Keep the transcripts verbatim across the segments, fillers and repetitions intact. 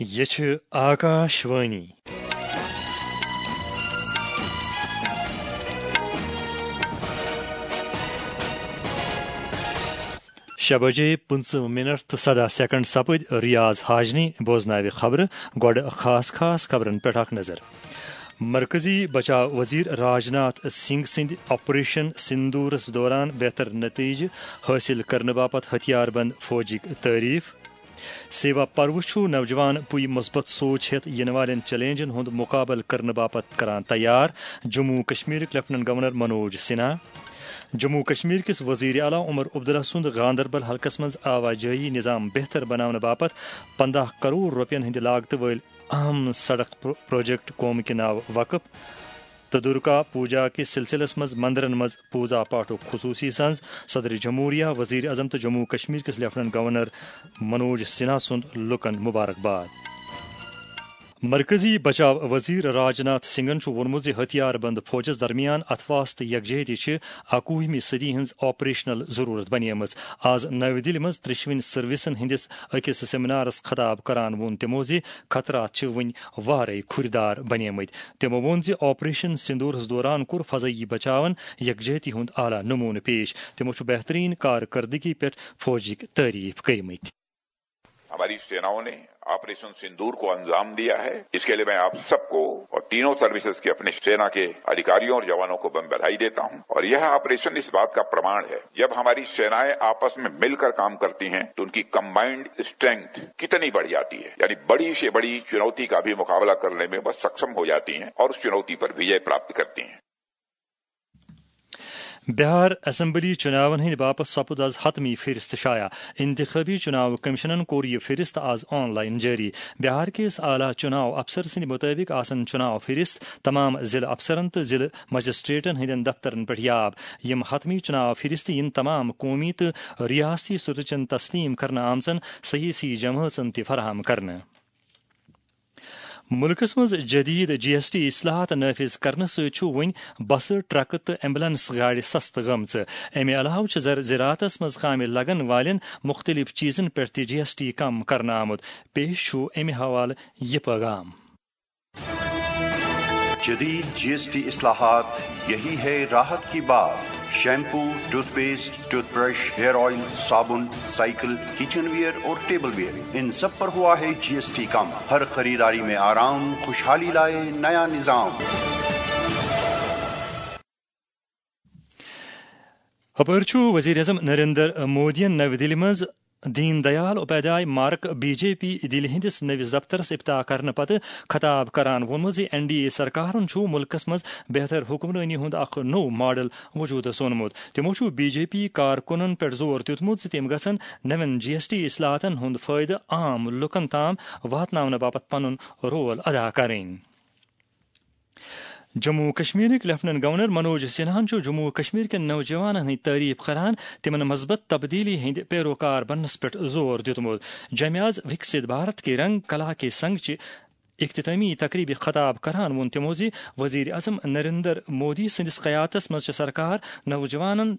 یہِ چھِ آکاش وانی۔ شےٚ بجے پٕنٛژٕہ منٹ تہٕ سداہ سیکنڈ سپٕدۍ۔ ریاض حاجنی بوزناوِ خبرٕ۔ گۄڈٕ خاص خاص خبرن پٮ۪ٹھ اکھ نظر۔ مرکزی بچاو وزیر راجناتھ سنگھ سٕنٛدِ آپریشن سندورس دوران بہتر نتیجہٕ حٲصِل کرنہٕ باپتھ ہتھیار بند فوجٕکۍ تعریف۔ سیوا پرو چھُ نوجوان پُے مثبت سوچ ہیتھ یِنہٕ والٮ۪ن چیلنجن ہُنٛد مقابلہٕ کرنہٕ باپتھ کران تیار، جموں کشمیرٕکۍ لیفٹیننٹ گورنر منوج سنہا۔ جموں کشمیر کِس وزیر اعلیٰ عمر عبداللہ سُنٛد گاندربل حلقس منٛز آواجٲہی نظام بہتر بناونہٕ باپتھ پنٛداہ کرور رۄپین ہٕنٛدِ لاگتہٕ وٲلۍ اہم سڑک پرو-، پروجیکٹ قومہٕ کہِ ناوٕ وقف۔ تہٕ درگا پوجا کِس سلسلس منٛز مندرن منٛز پوجا پاٹھُک خصوصی سنز۔ صدر جمہوریہ، وزیر اعظم تہٕ جموں کشمیر کِس لیفٹیننٹ گورنر منوج سنہا سُنٛد لُکن مبارکباد۔ مرکزی بچاو وزیر راجناتھ سنگھن چھُ ووٚنمُت زِ ہتھیار بند فوجس درمیان اتھواس تہٕ یکجہتی چھِ اکوُہمہِ صدی ہٕنٛز آپریشنل ضرورت بنیمٕژ۔ آز نَوِ دِلہِ منٛز ترٛیٚشوٕنی سروسن ہٕنٛدِس أکِس سیمینارس خطاب کران ووٚن تِمو زِ خطرات چھِ وُنہِ وارے کھُرۍ دار بنیمٕتۍ۔ تِمو ووٚن زِ آپریشن سندورس دوران کوٚر فضائی بچاون یکجہتی ہُنٛد اعلیٰ نمونہٕ پیش۔ تِمو چھُ بہترین کارکردگی پٮ۪ٹھ فوجٕکۍ تعریف کٔرمٕتۍ۔ ہماری سیناؤں نے آپریشن سندور کو انجام دیا ہے، اس کے لیے میں آپ سب کو اور تینوں سروسز کے اپنے सेना के अधिकारियों और जवानों को मैं बधाई देता हूं। और यह ऑपरेशन इस बात का प्रमाण है, जब हमारी सेनाएं आपस में मिलकर काम करती हैं तो उनकी कंबाइंड स्ट्रेंथ कितनी बढ़ जाती है, यानी बड़ी से बड़ी चुनौती का भी मुकाबला करने में वह सक्षम हो जाती हैं और उस चुनौती पर विजय प्राप्त करती हैं। بہار اسمبلی چُناون ہٕنٛدِ باپتھ سپُد آز حتمی فہرست شایع۔ انتخابی چُناو کمیشنن کوٚر یہِ فہرست آز آن لائن جٲری۔ بہار کِس اعلیٰ چُناو افسر سٕنٛدِ مُطٲبِق آسن چُناو فہرست تمام ضلع افسرن تہٕ ضلع مجسٹریٹن ہٕنٛدٮ۪ن دفترن پٮ۪ٹھ یاب۔ یِم حتمی چُناو فہرست یِن تمام قومی تہٕ ریاستی سطحٕچن تسلیم کرنہٕ آمژن سیٲسی جمٲژن تہِ فراہم کرنہٕ۔ مُلکس منٛز جدید جی ایس ٹی اصلاحات نافذ کرنہٕ سۭتۍ چھُ وۄنۍ بسہٕ، ٹرکہٕ تہٕ ایمبولینس گاڑِ سستہٕ گٔمژٕ۔ امہِ علاوٕ چھُ زر-، زراعتس منٛز کامہِ لگن والٮ۪ن مُختٔلِف چیٖزن پٮ۪ٹھ تہِ جی ایس ٹی کم کرنہٕ آمُت۔ پیش چھُ امہِ حوالہٕ یہِ پیغام۔ جدید جی ایس ٹی اصلاحات، یہی ہے راحت کی بات۔ Shampoo, toothpaste, toothbrush, hair oil, صابن، سائیکل، کچن ویئر اور ٹیبل ویئر، ان سب پر ہوا ہے جی ایس ٹی کم۔ ہر خریداری میں آرام، خوشحالی لائے نیا نظام۔ ہپٲرۍ چھُ وزیر اعظم نریندر مودیَن نَوِ دِلہِ منٛز Deen Dayal Upadhyaya Marg B J P دِلہِ ہٕنٛدِس نٔوِس دفترس افتتاح کرنہٕ پتہٕ خطاب کران ووٚنمُت زِ این ڈی اے سرکارن چھُ مُلکس منٛز بہتر حکمرٲنی ہُنٛد اکھ نوٚو ماڈل وجوٗدس اونمُت۔ تِمو چھُ بی جے پی کارکُنن پٮ۪ٹھ زور دیُتمُت زِ تِم گژھن نوٮ۪ن جی ایس ٹی اصلاحاتن ہُنٛد فٲیدٕ عام لُکن تام واتناونہٕ باپتھ پنُن رول ادا کرٕنۍ۔ جموں و کشمیرٕکۍ لیفٹیننٹ گورنر منوج سنہاہن چھُ جموں و کشمیر کٮ۪ن نوجوانن ہٕنٛدۍ تعریف کران، تِمن مثبت تبدیلی ہٕنٛدۍ پیروکار بننس پٮ۪ٹھ زور دیُتمُت۔ جمعیاز وکسِت بھارت کے رنگ، کلا کے سنگ چہِ اختتامی تقریبہِ خطاب کران ووٚن تِمو زِ وزیر اعظم نریندر مودی سٕنٛدِس قیادتس منٛز چھِ سرکار نوجوانن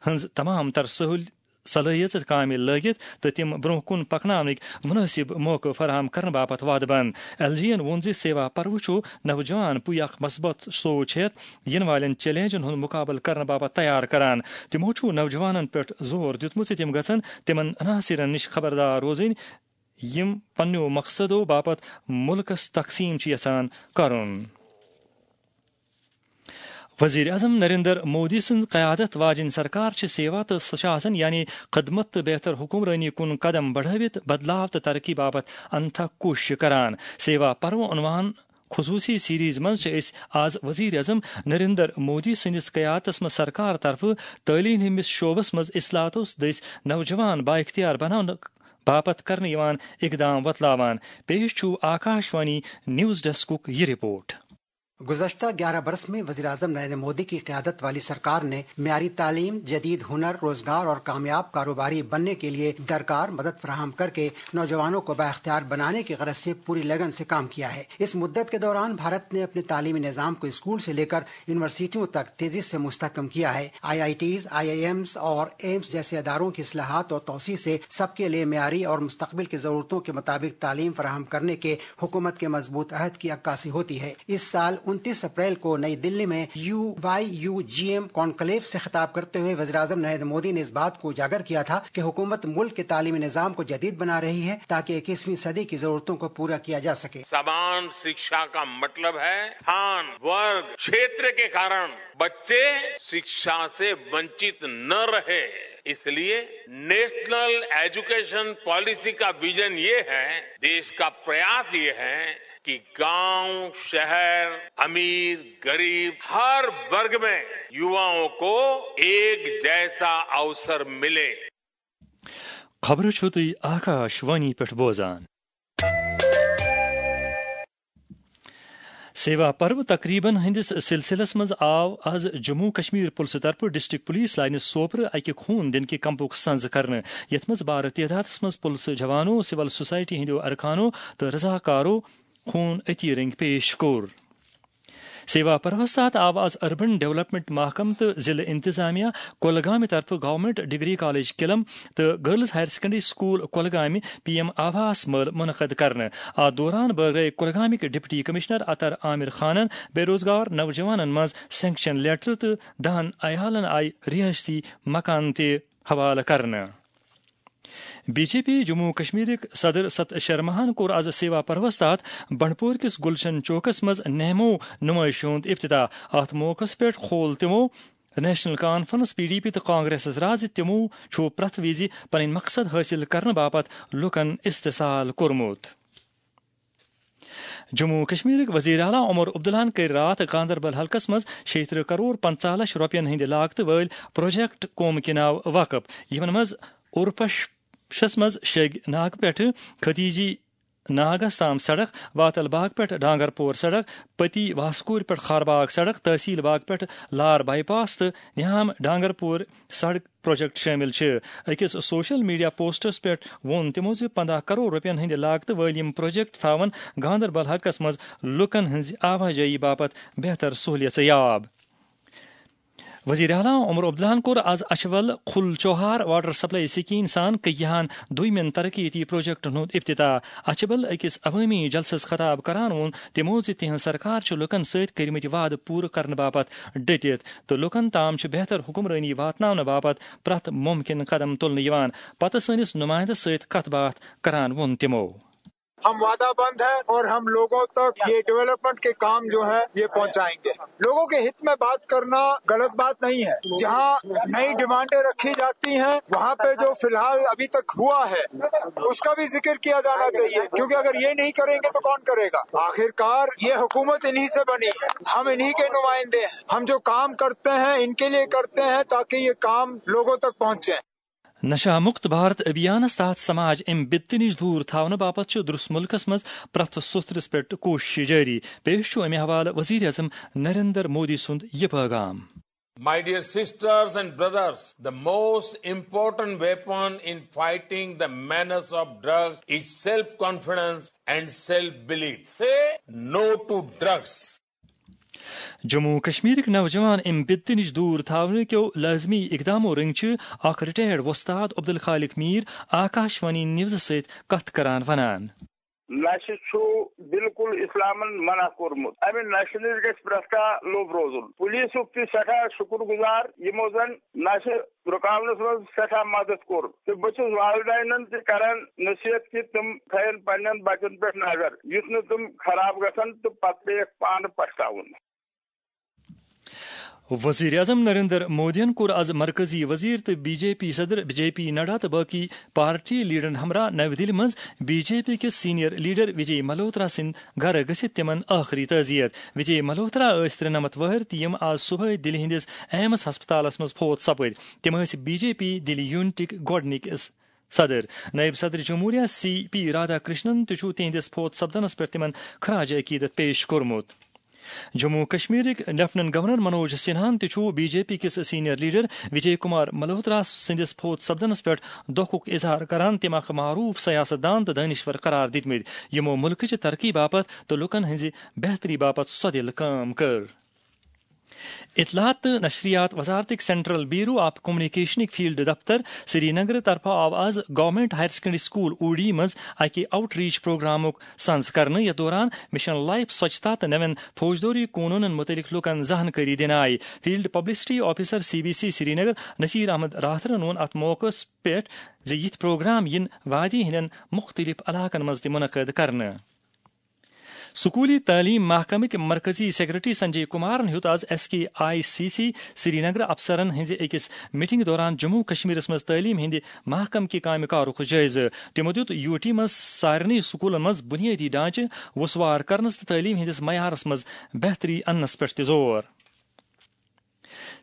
ہٕنٛز تمام تر سہول-، صلٲحیژٕ کامہِ لٲگِتھ تہٕ تِم برٛونٛہہ کُن پکناونٕکۍ مُنٲسِب موقعہٕ فراہم کرنہٕ باپتھ وعدٕ بنٛد۔ ایل جی یَن ووٚن زِ سیوا پرو چھُ نوجوان پُے اکھ مثبت سوچ ہیتھ یِنہٕ والٮ۪ن چیلنجن ہُنٛد مُقابلہٕ کرنہٕ باپتھ تیار کران۔ تِمو چھُ نوجوانن پٮ۪ٹھ زور دیُتمُت زِ تِم گژھن تِمن عناصرن نِش خبردار روزٕنۍ، یِم پننیو مقصدو باپتھ مُلکس تقسیٖم چھِ یژھان کرُن۔ وزیر اعظم نریندر مودی سٕنٛز قیادت واجیٚنۍ سرکار چھِ سیوا تہٕ سُشاسن، یعنی خدمت تہٕ بہتر حکمرٲنی کُن قدم بڑھٲوِتھ بدلاو تہٕ ترقی باپتھ انتھک کوٗششہٕ کران۔ سیوا پرو عنوان خصوٗصی سیریز منٛز چھِ أسۍ آز وزیر اعظم نریندر مودی سٕنٛدِس قیادتس منٛز سرکار طرفہٕ تعلیٖم ہٕنٛدِس شعبس منٛز اصلاحاتو دٔسۍ نوجوان بااختیار بناونہٕ باپتھ کرنہٕ یِوان اقدام وۄتلاوان۔ پیش چھُ آکاش وانی نیوز ڈیسکُک یہِ رپورٹ۔ گزشتہ گیارہ برس میں وزیر اعظم نریندر مودی کی قیادت والی سرکار نے معیاری تعلیم، جدید ہنر، روزگار اور کامیاب کاروباری بننے کے لیے درکار مدد فراہم کر کے نوجوانوں کو بااختیار بنانے کی غرض سے پوری لگن سے کام کیا ہے۔ اس مدت کے دوران بھارت نے اپنے تعلیمی نظام کو اسکول سے لے کر یونیورسٹیوں تک تیزی سے مستحکم کیا ہے۔ I I Ts, I I Ms اور ایمز جیسے اداروں کی اصلاحات اور توسیع سے سب کے لیے معیاری اور مستقبل کی ضرورتوں کے مطابق تعلیم فراہم کرنے کے حکومت کے مضبوط عہد کی عکاسی ہوتی ہے۔ اس سال انتیس اپریل کو نئی دلی میں U Y U G M conclave سے خطاب کرتے ہوئے وزیر اعظم نریندر مودی نے اس بات کو اجاگر کیا تھا کہ حکومت ملک کے تعلیمی نظام کو جدید بنا رہی ہے تاکہ اکیسویں صدی کی ضرورتوں کو پورا کیا جا سکے۔ समान शिक्षा का मतलब है स्थान, वर्ग, क्षेत्र के कारण बच्चे शिक्षा से वंचित न रहे। इसलिए नेशनल एजुकेशन पॉलिसी का विजन ये है, देश का प्रयास ये है कि गांव, शहर, अमीर, गरीब, हर वर्ग में युवाओं को एक जैसा अवसर मिले। خبرٕ چھِو تُہۍ آکاش وانی پٮ۪ٹھ بوزان۔ سیوا پرو تقریبن ہٕنٛدِس سلسلس منٛز آو از جموں کشمیر پُلسہٕ طرفہٕ ڈسٹرکٹ پولیس لاینہِ سوپرٕ اکہِ خوٗن دِنہٕ کہِ کمپُک سنز کرنہٕ، یتھ منٛز بارٕ تعدادس منٛز پُلسہٕ جوانو، سول سوسائٹی ہٕنٛدیو ارکانو تہٕ رضاکارو خوٗن عطیہ رنگۍ پیش کوٚر۔ سیوا پروس تحت آو از اربن ڈیولپمنٹ محکمہٕ تہٕ ضلعہٕ انتظامیہ کۄلگامہِ طرفہٕ گورنمنٹ ڈگری کالج کلم تہٕ گرلز ہائر سیکنڈری سکول کۄلگامہِ پی ایم آواس مٲلہٕ منعقد کرنہٕ۔ اتھ دوران بٲگرٲے کۄلگامٕکۍ ڈپٹی کمشنر عطر عامر خانن بے روزگار نوجوانن منٛز سینکشن لیٹر تہٕ دہن عیالن آیہِ رہٲیشتی مکان تہِ حوالہٕ کرنہٕ۔ بی جے پی جموں و کشمیرٕکۍ صدر ست شرماہن کوٚر از سیوا پروس تحت بنڈپور کِس گلشن چوکس منٛز نہمو نمٲیشہِ ہُنٛد افتتاح۔ اتھ موقعس پٮ۪ٹھ کھول تِمو national conference, P D P تہٕ کانگریسس راز زِ تِمو چھُ پرٛٮ۪تھ وِزِ پنٕنۍ مقصد حٲصِل کرنہٕ باپتھ لوٗکن استحصال کوٚرمُت۔ جموں و کشمیرٕکۍ وزیر اعلیٰ عمر عبداللہن کٔرۍ راتھ گاندربل حلقس منٛز شیٚیہِ ترٕٛہ کرور پنژاہ لچھ رۄپین ہٕنٛدِ لاگتہٕ وٲلۍ پروجیکٹ قوم کے ناو وقف، یِمن منٛز اورپشس منٛز شیگ ناگ پٮ۪ٹھٕ خدیجی ناگس تام سڑک، واتل باغ پٮ۪ٹھ ڈانگر پور سڑک، پتی واسکور پٮ۪ٹھ خارباغ سڑک، تحصیل باغ پٮ۪ٹھ لار بائی پاس تہٕ نیام ڈانگر پور سڑک پروجیکٹ شٲمِل چھِ۔ أکِس سوشل میڈیا پوسٹس پٮ۪ٹھ ووٚن تِمو زِ پنٛداہ کرور رۄپین ہٕنٛدِ لاگتہٕ وٲلۍ یِم پروجیکٹ تھاون گاندربل حلقس منٛز لوٗکن ہٕنٛزِ آواجٲیی باپتھ بہتر سہولیژٕ یاب۔ وزیر اعلیٰ عمر عبداللہن کوٚر از اچھبل کھل چوہار واٹر سپلائی سکیٖم سان کٔہیاہن دویمٮ۪ن ترقیتی پروجیکٹن ہُنٛد افتتاح۔ اچھبل أکِس عوٲمی جلسس خطاب کران ووٚن تِمو زِ تِہنٛز سرکار چھِ لوٗکن سۭتۍ کٔرمٕتۍ وعدٕ پوٗرٕ کرنہٕ باپتھ ڈٔٹِتھ تہٕ لوٗکن تام چھِ بہتر حکمرٲنی واتناونہٕ باپتھ پرٛٮ۪تھ مُمکِن قدم تُلنہٕ یِوان۔ پتہٕ سٲنِس نُمٲیندَس سۭتۍ کتھ باتھ کران ووٚن تِمو۔ ہم وعدہ بند ہیں اور ہم لوگوں تک یہ ڈیولپمنٹ کے کام جو ہے یہ پہنچائیں گے۔ لوگوں کے ہت میں بات کرنا غلط بات نہیں ہے۔ جہاں نئی ڈیمانڈیں رکھی جاتی ہیں وہاں پہ جو فی الحال ابھی تک ہوا ہے اس کا بھی ذکر کیا جانا چاہیے، کیونکہ اگر یہ نہیں کریں گے تو کون کرے گا؟ آخرکار یہ حکومت انہی سے بنی ہے، ہم انہی کے نمائندے ہیں۔ ہم جو کام کرتے ہیں ان کے لیے کرتے ہیں تاکہ یہ کام لوگوں تک پہنچے۔ نشہ مکت بھارت ابھیانس تحت سماج امہِ بدتہٕ نِش دوٗر تھاونہٕ باپتھ چھُ درس مُلکس منٛز پرٛٮ۪تھ سوٚتھرِس پٮ۪ٹھ کوٗشش جٲری۔ پیش چھُ امہِ حوالہٕ وزیر اعظم نریندر مودی سُنٛد یہِ پٲغام۔ My dear sisters and brothers, the most important weapon in fighting the menace of drugs is self-confidence and self-belief. Say no to drugs. Jammu و کشمیرٕکۍ نوجوان امہِ بدتہٕ نِش دوٗر تھاونہٕ کیو لٲزمی اقدامو رٔنگۍ چھِ اکھ ریٹائرڈ وۄستاد عبدالخالق میر آکاش وانی نیوزٕ سۭتۍ کتھ کران ونان۔ نشہٕ چھُ بالکل اسلامن منع کوٚرمُت۔ امہِ نشہٕ نِش گژھِ پرٛٮ۪تھ کانٛہہ لوٚب روزُن۔ پولیسُک تہِ سٮ۪ٹھاہ شُکر گُزار یِمو زن نشہٕ رُکاونس منٛز سٮ۪ٹھاہ مدد کوٚر تہٕ بہٕ چھُس والدینن تہِ کران نصیحت کہِ تِم تھاون پننٮ۪ن بچن پٮ۪ٹھ نظر یُتھ نہٕ تِم خراب گژھن تہٕ پتہٕ پیٚیَکھ پانہٕ پچھتاوُن۔ وزیر اعظم نریندر مودیَن کوٚر از مرکزی وزیر تہٕ بی جے پی صدر جے پی نڈا تہٕ باقی پارٹی لیڈرن ہمراہ نَوِ دِلہِ منٛز بی جے پی کِس سینئر لیڈر وجے ملہوترا سٕنٛدِ گرٕ گٔژھِتھ تِمن ٲخری تعزیت۔ وجے ملہوترا ٲسۍ ترٛنَمتھ وٕہٕرۍ تہٕ یِم از صبحٲے دِلہِ ہٕنٛدِس ایمس ہسپتالس منٛز فوت سپٕدۍ۔ تِم ٲسۍ بی جے پی دِلہِ یونٹٕکۍ گۄڈٕنِکۍ صدر۔ نٲیِب صدر جمہوریہ سی پی رادھا کرشنن تہِ چھُ تِہنٛدِس فوت سپدنس پٮ۪ٹھ تِمن خراج عقیدت پیش کوٚرمُت۔ جموں کشمیرٕکۍ لیفٹیننٹ گورنر منوج سنہاہن تہِ چھُ بی جے پی کِس سینئر لیڈر وجے کمار ملہوترا سٕنٛدِس فوت سپدنس پٮ۪ٹھ دۄکھُک اظہار کران۔ تِم، اکھ معروف سیاست دان تہٕ دٲنِشور قرار دِتمٕتۍ، یِمو مُلکٕچہِ ترقی باپتھ تہٕ لوٗکن ہٕنٛزِ بہتری باپتھ سۄدِل کٲم کٔر۔ اطلاعات تہٕ نشریات وزارتٕکۍ سینٹرل بیورو آف کمیونیکیشنٕکۍ فیلڈ دفتر سری نگر طرفہٕ آو آز گورنمنٹ ہائر سیکنڈری سکول اوڈی منٛز اکہِ آؤٹ ریچ پروگرامُک سنز کرنہٕ، یتھ دوران مشن لائف سوچھتا تہٕ نوین فوجدٲری قونوٗنن متعلق لوٗکن زانکٲری دِنہٕ آیہِ۔ Field publicity officer C B C Srinagar Naseer Ahmad راتھرن ووٚن اتھ موقعس پٮ۪ٹھ زِ یِتھۍ پروگرام یِن وادی ہٕنٛدٮ۪ن مُختٔلِف علاقن منٛز تہِ منعقد کرنہٕ۔ سکوٗلی تعلیٖم محکمٕکۍ مرکزی سیکرٹری سنجے کمارن ہیوٚت آز S K I C C Srinagar افسرن ہٕنٛزِ أکِس میٹنگ دوران جموں کشمیرس منٛز تعلیٖم ہٕنٛدِ محکمہٕ کہِ کامہِ کارُک جٲیزٕ۔ تِمو دیُت یو ٹی منٛز سارنٕے سکوٗلن منٛز بُنیٲدی ڈھانچہٕ وسوار کرنس تہٕ تعلیٖم ہٕنٛدِس معیارس منٛز بہتری اننس پٮ۪ٹھ تہِ زور۔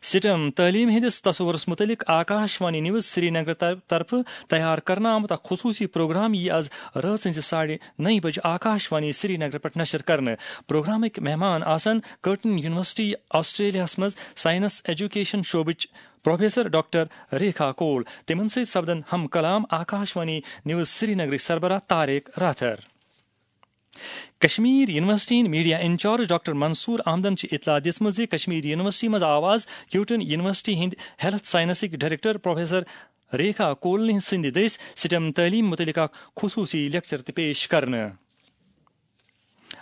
سٹم تعلیٖم ہٕنٛدِس تصورس مُتعلق آکاش وانی نیوز سری نگر طر-، طرفہٕ تیار کرنہٕ آمُت اکھ خصوٗصی پروگرام یِیہِ آز رٲژ ہٕنٛزِ ساڑِ نَیہِ بجہِ آکاش وانی سری نگر پٮ۪ٹھ نشر کرنہٕ۔ پروگرامٕکۍ مہمان آسن کرٹن یونیورسٹی آسٹریلیاہس منٛز سائنس ایجوکیشن شعبٕچ پروفیسر ڈاکٹر ریکھا کول۔ تِمن سۭتۍ سپدن ہم کلام آکاش وانی نیوز سری نگرٕکۍ سربراہ طارق راتھر۔ کشمیر یونیورسٹی ہٕنٛدۍ میڈیا انچارج ڈاکٹر منصور احمدن چھِ اطلاع دِژمٕژ زِ کشمیر یونیورسٹی منٛز آو آز کیوٹن یونیورسٹی ہٕنٛدۍ ہیلتھ سائنسٕکۍ ڈائریکٹر پروفیسر ریکھا کولنہِ سٕنٛدِ دٔسۍ سٹم تعلیٖم مُتعلق اکھ خصوٗصی لیکچر تہِ پیش کرنہٕ۔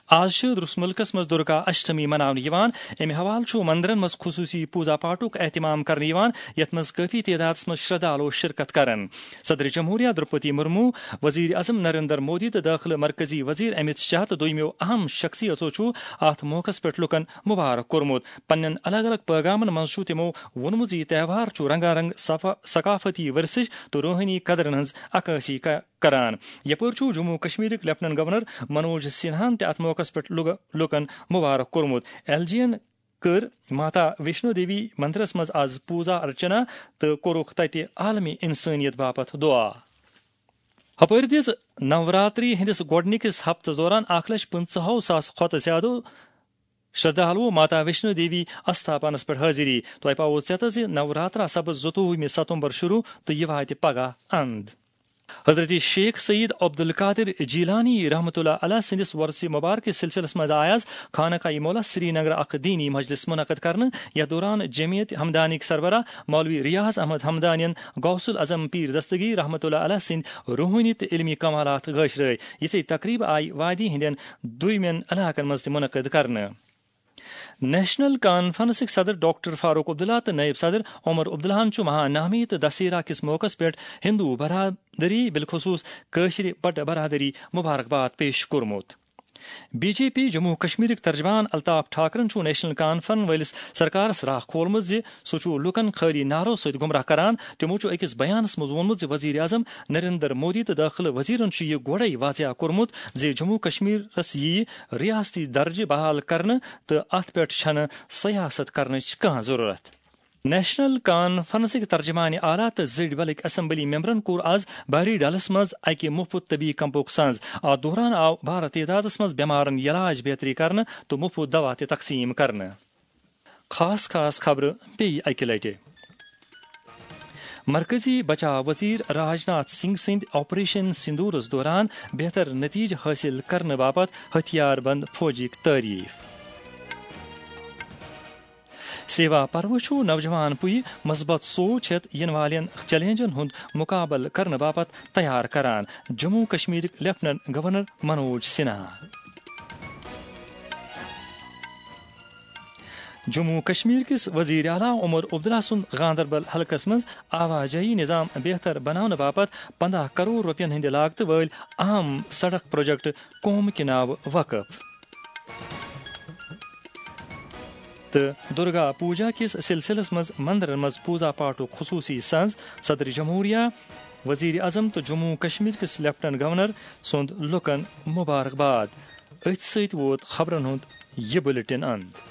آز چھِ درس مُلکس منٛز درگا اشٹمی مناونہٕ یِوان۔ امہِ حوالہٕ چھُ مندرن منٛز خصوٗصی پوٗزا پاٹھُک اہتمام کرنہٕ یِوان، یتھ منٛز کٲفی تعدادس منٛز شردھالو شرکت کرن۔ صدر جمہوریہ درپتی مرمو، وزیر اعظم نریندر مودی تہٕ دٲخلہٕ مرکزی وزیر امت شاہ تہٕ دویمو اہم شخصیتو چھُ اتھ موقعس پٮ۪ٹھ لوٗکن مبارک کوٚرمُت۔ پننٮ۪ن الگ الگ پیغامن منٛز چھُ تِمو ووٚنمُت زِ یہِ تہوار چھُ رنگا رنگ صفا-، ثقافتی ورثٕچ تہٕ روحٲنی قدرن ہٕنٛز عکٲسی ک-، کران۔ یپٲرۍ چھُ جموں کشمیرٕکۍ لیفٹیننٹ گورنر منوج سنہاہن تہِ اتھ موقعس پٮ۪ٹھ لوگ-، لوٗکن مبارک کوٚرمُت۔ ایل جی ین کٔر ماتا ویشنو دیوی مندرس منٛز آز پوٗزا ارچنا تہٕ کوٚرُکھ تتہِ عالمی انسٲنیت باپتھ دعا۔ ہپٲرۍ دِژ نوراتری ہٕنٛدِس گۄڈٕنِکِس ہفتس دوران اکھ لچھ پٕنٛژٕہو ساس کھۄتہٕ زیادٕ شردھالو ماتا ویشنو دیوی استھاپنس پٮ۪ٹھ حٲضری۔ تۄہہِ پاوو ژیتس زِ نوراترا سپد زٕتووُہمہِ ستمبر شروع تہٕ یہِ واتہِ پگاہ اند۔ حضرت شیخ سید عبدالقادر جیلانی رحمۃ اللہ علیہ سٕنٛدِس وۄرثہِ مبارکہِ سلسلس منٛز آیہِ آز خانقاہ مولا سری نگر اکھ دینی مجلس منعقد کرنہٕ، یتھ دوران جمعیت ہمدانیک سربراہ مولوی ریاض احمد ہمدانین غوث العظم پیر دستگیر رحمۃ اللہ علیہ سٕنٛدۍ روحٲنی تہٕ علمی کمالات گٲشرٲوۍ۔ یِژھے تقریبہٕ آیہِ وادی ہٕنٛدٮ۪ن دوٗرمٮ۪ن علاقن منٛز تہِ منعقد کرنہٕ۔ نیشنل کانفرنسٕکۍ صدر ڈاکٹر فاروق عبداللہ تہٕ نائب صدر عمر عبداللہن چھُ مہانامی تہٕ دسہرہ کِس موقعس پٮ۪ٹھ ہندو برادری، بالخصوص کٲشرِ بٹہٕ برادری، مبارکباد پیش کوٚرمُت۔ بی جے پی جموں کشمیرٕکۍ ترجمان الطاف ٹھاکرن چھُ نیشنل کانفرنس وٲلِس سرکارس راہ کھولمُت زِ سُہ چھُ لوٗکن خٲلی نعرو سۭتۍ گمراہ کران۔ تِمو چھُ أکِس بیانس منٛز ووٚنمُت زِ وزیر اعظم نریندر مودی تہٕ دٲخلہٕ وزیرن چھُ یہِ گۄڈَے واضح کوٚرمُت زِ جموں کشمیرس یِیہِ ریاستی درجہٕ بحال کرنہٕ تہٕ اتھ پٮ۪ٹھ چھنہٕ سیاست کرنٕچ کانٛہہ ضروٗرت۔ نیشنل کانفرنسٕکۍ ترجمان اعلیٰ تہٕ زٔڈۍ بلٕکۍ اسمبلی ممبرن کوٚر آز بحری ڈلس منٛز اکہِ مُفت طبی کیمپُک سنز۔ اتھ دوران آو بھارٕ تعدادس منٛز بٮ۪مارن علاج بہتری کرنہٕ تہٕ مُفت دوا تہِ تقسیٖم کرنہٕ۔ خاص خاص خبرٕ بیٚیہِ اکہِ لٹہِ۔ مرکزی بچاو وزیر راجناتھ سنگھ سٕنٛدۍ آپریشن سندورس دوران بہتر نتیجہٕ حٲصِل کرنہٕ باپتھ ہتھیار بند فوجٕکۍ تعریف۔ سیوا پرو چھُ نوجوان پُیہِ مثبت سوچ ہٮ۪تھ یِنہٕ والٮ۪ن چیلنجن ہُنٛد مُقابلہٕ کرنہٕ باپتھ تیار کران۔ جموں کشمیرٕکۍ لیفٹیننٹ گورنر منوج سنہا۔ جموں کشمیر کِس وزیر اعلیٰ عمر عبداللہ سُنٛد گاندربل حلقس منٛز آواجٲیی نظام بہتر بناونہٕ باپتھ پنٛداہ کرور رۄپین ہٕنٛدِ لاگتہٕ وٲلۍ اہم سڑک پروجیکٹ قوم کہِ ناوٕ وقف۔ تہٕ درگا پوجا کِس سلسلس منٛز مندرن منٛز پوزا پاٹھُک خصوصی سنز۔ صدر جمہوریہ، وزیر اعظم تہٕ جموں کشمیر کِس لیفٹیننٹ گورنر سُنٛد لُکن مبارکباد۔ أتھۍ سۭتۍ ووت خبرن ہُنٛد یہِ بلیٹن اند۔